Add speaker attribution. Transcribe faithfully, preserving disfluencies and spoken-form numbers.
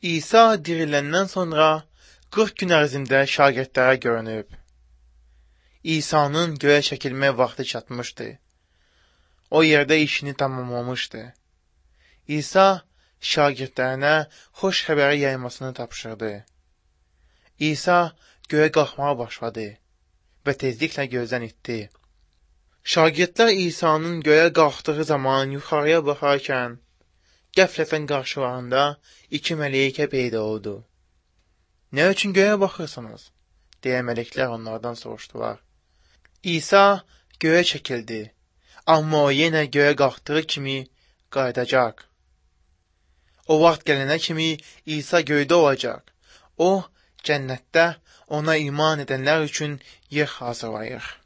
Speaker 1: İsa diriləndən sonra qırx gün ərzində şagirdlərə görünüb. İsa'nın göyə çəkilmə vaxtı çatmışdı. O yerdə işini tamamlamışdı. İsa şagirdlərinə xoş xəbəri yaymasını tapşırdı. İsa göyə qalxmağa başladı və tezliklə gözdən itdi. Şagirdlər İsa'nın göyə qalxdığı zaman yuxarıya baxarkən, qəflətən qarşılarında iki mələkə peyda oldu. Nə üçün göyə baxırsınız? Deyə mələklər onlardan soruşdular. İsa göyə çəkildi, amma o yenə göyə qalxdığı kimi qayıdacaq. O vaxt gələnə kimi İsa göydə olacaq. O, cənnətdə ona iman edənlər üçün yer hazırlayır.